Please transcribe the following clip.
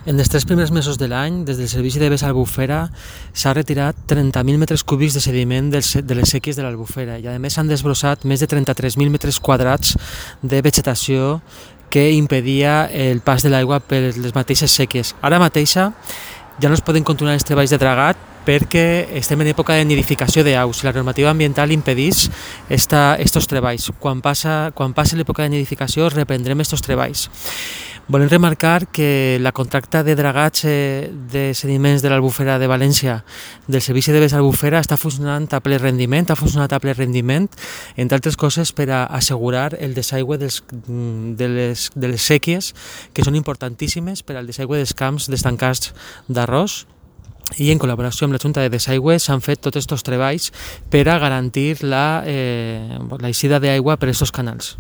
En els 3 primers mesos de l'any, des del Servici de Bes a l'Albufera, s'ha retirat 30.000 metres cúbics de sediment de les séquies de l'Albufera i, a més, s'han desbrossat més de 33.000 metres quadrats de vegetació que impedia el pas de l'aigua per les mateixes séquies. Ara mateixa ja no es poden continuar els treballs de dragat perquè estem en època de nidificació d'aus i la normativa ambiental impedeix estos treballs. Quan passi l'època de nidificació reprendrem estos treballs. Volem remarcar que la contracta de dragats de sediments de l'Albufera de València del Servici de Bes a l'Albufera està funcionant a ple rendiment, entre altres coses per a assegurar el desaigüe de les séquies, que són importantíssimes per al desaigüe dels camps d'estancats d'arròs, i en col·laboració amb la Junta de Desaigüe s'han fet tots aquests treballs per a garantir l'eixida d'aigua per aquests canals.